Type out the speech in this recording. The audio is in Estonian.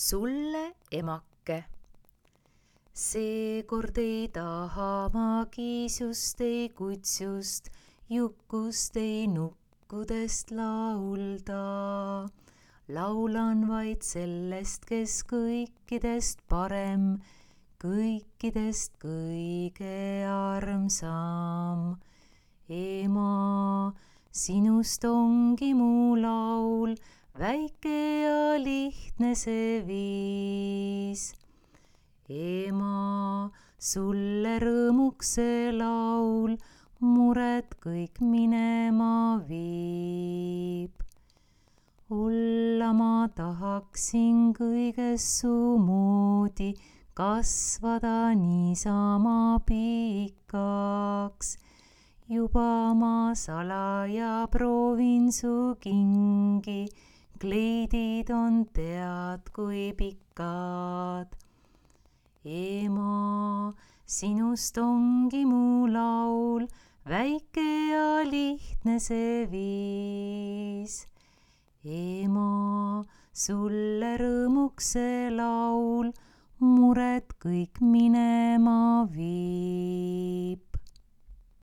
Sulle, emake. Seekord ei taha ma kiisust, ei kutsust, jukust, ei nukkudest laulda. Laulan vaid sellest, kes kõikidest parem, kõikidest kõige armsam. Ema, sinust ongi mu laul, väike ja lihtne see viis. Ema, sulle rõõmuks see laul, mured kõik minema viib. Olla ma tahaksin kõiges su moodi, kasvada niisama pikaks. Juba ma salaja proovin su kingi, kleidid on tead kui pikad. Ema, sinust ongi mu laul, väike ja lihtne see viis. Ema, sulle rõõmuks see laul, mured kõik minema viib.